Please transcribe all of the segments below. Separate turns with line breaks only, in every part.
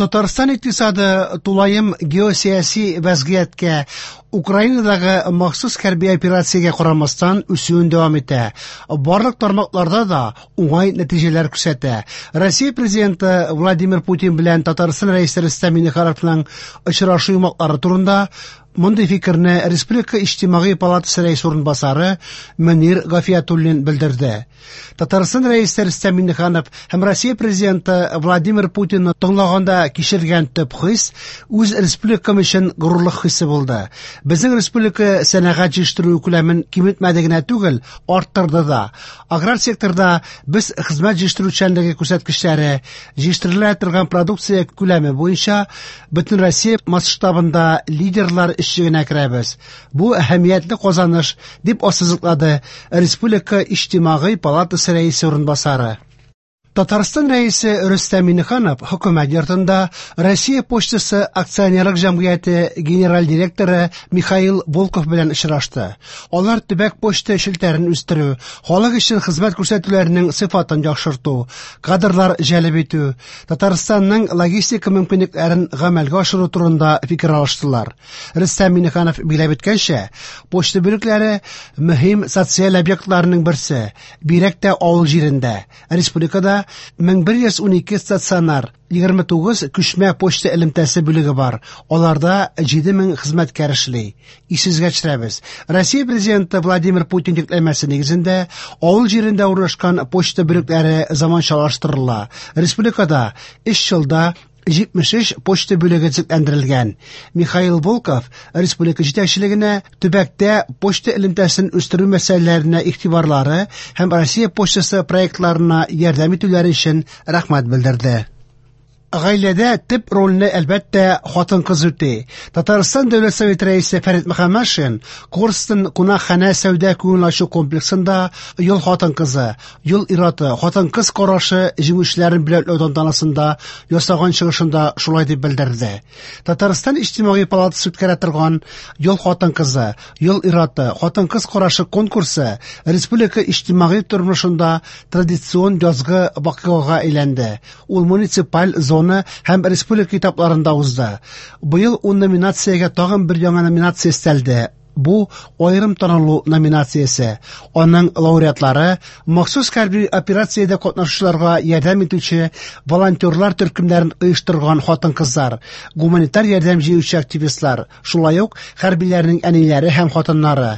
Татарстан икътисады тулаем геосәяси вәзгыятькә, Украинадагы махсус хәрби операциягә карамастан үсүен дәвам итә. Барлык тармакларда да уңай нәтиҗәләр күрсәтә. Россия Президенты Владимир Путин белән Татарстан Рәисе Рөстәм Миңнехановның очрашу йомгаклары турында мондый фикерне Республика Иҗтимагый палатасы рәисе урынбасары Мөнир Гафиятуллин белдерде. Татарстан Рәисе Рөстәм Миңнеханов һәм Россия Президенты Владимир Путинны тыңлаганда кичергән төп хис үз республикам өчен горурлык хисе булды. Безнең республика сәнәгать җитештерү күләмен киметмәде генә түгел, арттырды да. Аграр секторда без хезмәт җитештерүчәнлеге күрсәткечләре, җитештерелә торган продукция күләме буенча Бөтенроссия масштабында лидерлар өчлегенә керәбез. Бу әһәмиятле казаныш, дип ассызыклады Республика Иҗтимагый палатасы рәисе урынбасары. Татарстан Рәисе Рөстәм Миңнеханов Хөкүмәт йортында Россия почтасы акционерлык җәмгыяте генераль директоры Михаил Волков белән очрашты. Алар төбәк почта челтәрен үстерү, халык өчен хезмәт күрсәтүләрнең сыйфатын яхшырту, кадрлар җәлеп итү, Татарстанның логистика мөмкинлекләрен гамәлгә ашыру турында фикер алыштылар. Рөстәм Миңнеханов билгеләп үткәнчә, почта бүлекләре мөһим социаль объектларның берсе, бигрәк тә авыл җирендә. Республикада 1112 стационар, 29 күчмә почта элемтәсе бүлеге бар. Аларда 7000 хезмәткәр эшли. Исегезгә төшерәбез, Россия Президенты Владимир Путин йөкләмәсе нигезендә авыл җирендә урнашкан почта бүлекләре заманчалаштырыла. Республикада 3 елда 73 почта бүлеге төзекләндерелгән. Михаил Волков республика җитәкчелегенә төбәктә почта элемтәсен үстерү мәсьәләләренә игътибарлары һәм Россия почтасы проектларына ярдәм итүләре өчен рәхмәт белдерде. Гаиләдә төп рольне, әлбәттә, хатын-кыз үти. Татарстан Дәүләт Советы Рәисе Фәрит Мөхәммәтшин Корстон кунакханә сәүдә күңел ачу комплексында Ел хатын-кызы, Ел ир-аты, хатын-кыз карашы җиңүчеләрен бүләкләү тантанасында ясаган чыгышында шулай дип белдерде. Татарстан Иҗтимагый палатасы үткәрә торган Ел хатын-кызы, Ел ир-аты, хатын-кыз карашы конкурсы республика иҗтимагый тормышында традицион язгы вакыйгага әйләнде. Ул муниципаль, зона һәм республика этапларында узды. Быел ун номинациягә тагын бер яңа номинация өстәлде. Бу аерым танылу номинациясе. Аның лауреатлары махсус хәрби операциядә катнашучыларга ярдәм итүче волонтерлар төркемнәрен оештырган хатын-кызлар, гуманитар ярдәм җыючы активистлар, шулай ук хәрбиләрнең әниләре һәм хатыннары.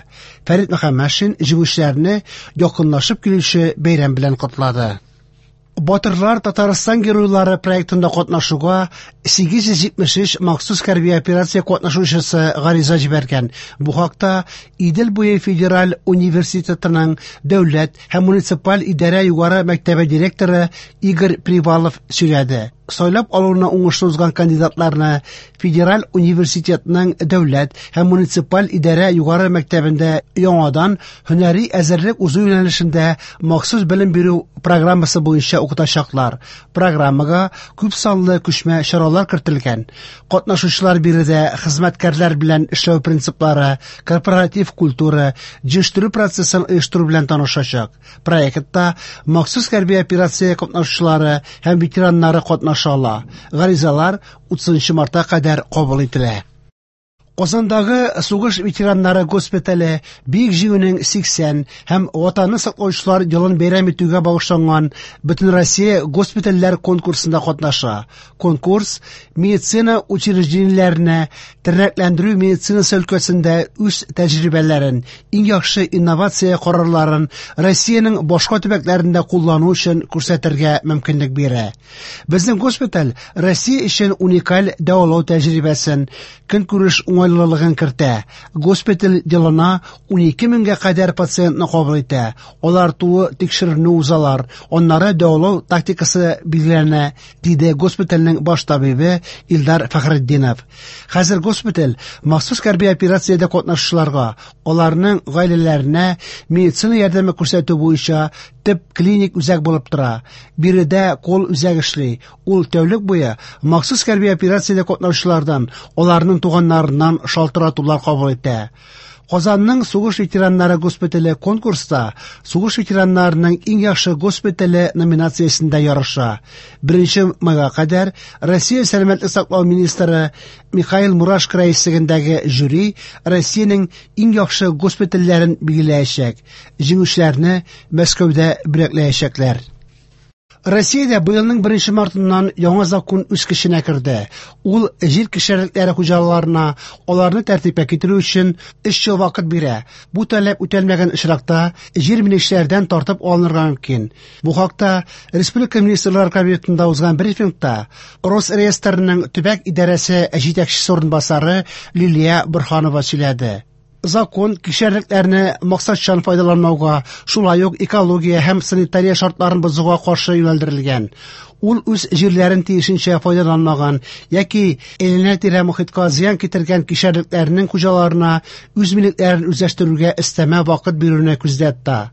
Фәрит Мөхәммәтшин җиңүчеләрне якынлашып килүче бәйрәм белән котлады. Батырлар Татарстан геройлары проектында катнашуга 873 махсус хәрби операция катнашучысы гариза җибәргән. Бу хакта Идел буе федераль университетының дәүләт һәм муниципаль идарә югары мәктәбе директоры Игорь Привалов сөйләде. Сайлап алуны уңышлы узган кандидатларны Федераль университетның дәүләт һәм муниципаль идарә югары мәктәбендә яңадан һөнәри әзерлек узу юнәлешендә махсус белем бирү программасы буенча укытачаклар. Программага күп санлы күчмә чаралар кертелгән. Катнашучылар биредә хезмәткәрләр белән эшләү принциплары, корпоратив культура, җитештерү процессын оештыру белән танышачак. Проектта махсус хәрби операция катнашучылары һәм ветераннары катнаша ала. Гаризалар 30 мартка кадәр кабул ителә. Казандагы сугыш ветераннары госпитале Бөек Җиңүнең 80 һәм Ватанны саклаучылар елын бәйрәм итүгә багышланган Бөтенроссия госпитальләр конкурсында катнаша. Конкурс медицина учреждениеләренә тернәкләндерү медицинасы өлкәсендә үз тәҗрибәләрен, иң яхшы инновация карарларын Россиянең башка төбәкләрендә куллану өчен күрсәтергә мөмкинлек бирә. Безнең госпиталь Россия өчен уникаль дәвалау тәҗрибәсен, көнкүреш уңайлылыгын кертә. Госпиталь елына 12 меңгә кадәр пациентны кабул итә. Алар тулы тикшеренү узалар, аннары дәвалау тактикасы билгеләнә, диде госпитальнең баш табибы Илдар Фәхретдинов. Хәзер госпиталь махсус хәрби операциядә катнашучыларга, аларның гаиләләренә медицина ярдәме күрсәтү буенча төп клиник үзәк булып тора. Биредә кол үзәк эшли. Ул тәүлек буе махсус хәрби операциядә катнашучылардан, аларның туганнарыннан шалтыратулар кабул итә. Казанның сугыш ветераннары госпитале конкурста сугыш ветераннарының иң яхшы госпитале номинациясендә ярыша. 1 майга кадәр Россия сәламәтлек саклау министры Михаил Мурашко рәислегендәге жюри Россиянең иң яхшы госпитальләрен билгеләячәк. Җиңүчеләрне Мәскәүдә бүләкләячәкләр. Россиядә быелның 1 мартыннан яңа закон үз көченә керде. Ул җир кишәрлекләре хуҗаларына аларны тәртипкә китерү өчен 3 ел вакыт бирә. Бу таләп үтәлмәгән очракта җир милекчеләрдән тартып алынырга мөмкин. Бу хакта Республика Министрлар Кабинетында узган брифингта Росреестрның төбәк идарәсе җитәкчесе урынбасары Лилия Борһанова сөйләде. Закон кишәрлекләрне максатчан файдаланмауга, шулай ук экология һәм санитария шартларын бозуга каршы юнәлдерелгән. Ул үз җирләрен тиешенчә файдаланмаган яки әйләнә-тирә мохиткә зыян китергән кишәрлекләрнең хуҗаларына үз милекләрен үзләштерүгә өстәмә вакыт бирүне күздә тота.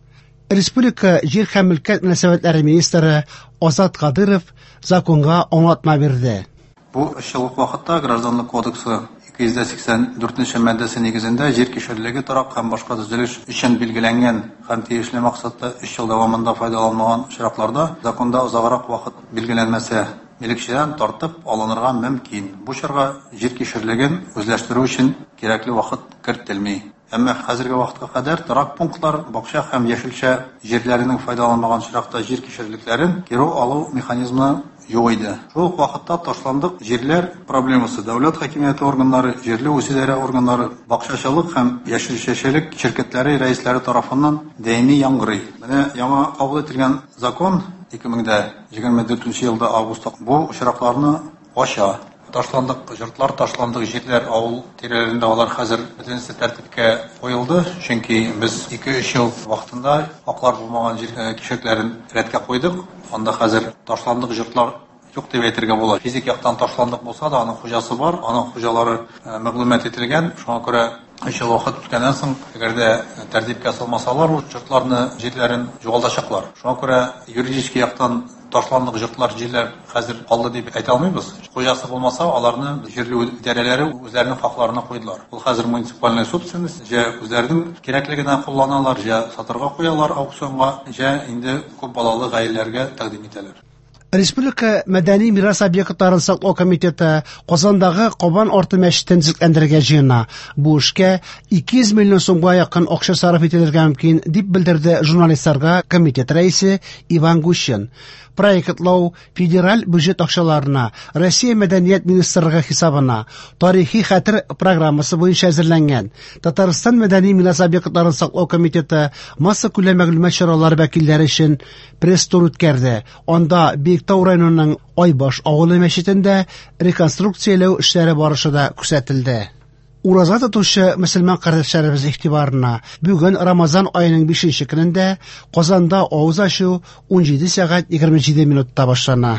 Республика җир һәм мөлкәт мөнәсәбәтләре министры Азат Кадыров законга аңлатма бирде.
Бу өч еллык вакытта Гражданлык кодексы 284 маддәсе нигезендә җир кишәрлеге торак һәм башка төзелеш өчен билгеләнгән һәм тиешле максатта 3 ел дәвамында файдаланмаган очракларда законда озаграк вакыт билгеләнмәсә, милекчедән тартып алынырга мөмкин. Бу чорга җир кишәрлеген үзләштерү өчен кирәкле вакыт кертелми. Әмма хәзерге вакытка кадәр торак пунктлар, бакча һәм яшелчә җирләренең файдаланмаган очракта җир кишәрлекләрен кире алу механизмы юк иде. Шул ук вакытта ташландык җирләр проблемасы дәүләт хакимияте органнары, җирле үзидарә органнары, бакчачылык һәм яшелчәчелек ширкәтләре рәисләре тарафыннан даими яңгырый. Менә яңа кабул ителгән закон 2024 елда августта бу очракларны ача. Ташландык йортлар, ташландык җирләр авыл тирәләрендә алар хәзер бөтенесе тәртипкә куелды, чөнки без 2-3 ел вакытында хаклар булмаган җир кишәрлекләрен рәткә куйдык. Анда хәзер ташландык йортлар юк дип әйтергә була. Физик яктан ташландык булса да, аның хуҗасы бар, аның хуҗалары мәгълүмат ителгән. Шуңа күрә 3 ел вакыт үткәннән соң, әгәр дә тәртипкә салмасалар, ул йортларны, җирләрен югалтачаклар. Шуңа күрә юридический яктан ташландык йортлар, җирләр хәзер калды дип әйтә алмыйбыз. Хуҗасы булмаса, аларны җирле идарәләре үзләренең хакларына куйдылар. Ул хәзер муниципальная собственность, җә үзләренең кирәклегенә кулланалар, җә сатырга куялар аукционга, җә инде күп балалы гаиләләргә тәкъдим итәләр.
Республика мәдәни мирас объектларын саклау комитеты Казандагы Кабан арты мәчетен төзекләндерергә җыена. Бу эшкә 200 миллион сумга якын акча сарыф ителергә мөмкин, дип белдерде журналистларга комитет рәисе Иван Гущин. Проектлау федераль бюджет акчаларына, Россия мәдәният министрлыгы хисабына, тарихи хәтер программасы буенча әзерләнгән. Татарстан мәдәни мирас объектларын саклау комитеты массакүләм мәгълүмат чаралары вәкилләре өчен пресс-тур үткәрде. Анда Биектау районының Айбаш авылы мәчетендә реконструкцияләү эшләре барышы да күрсәтелде. Ураза тотучы мөселман кардәшләребез игътибарына бүген Рамазан аеның 5 көнендә Казанда авыз ачу 17 сәгать 27 минутта башлана.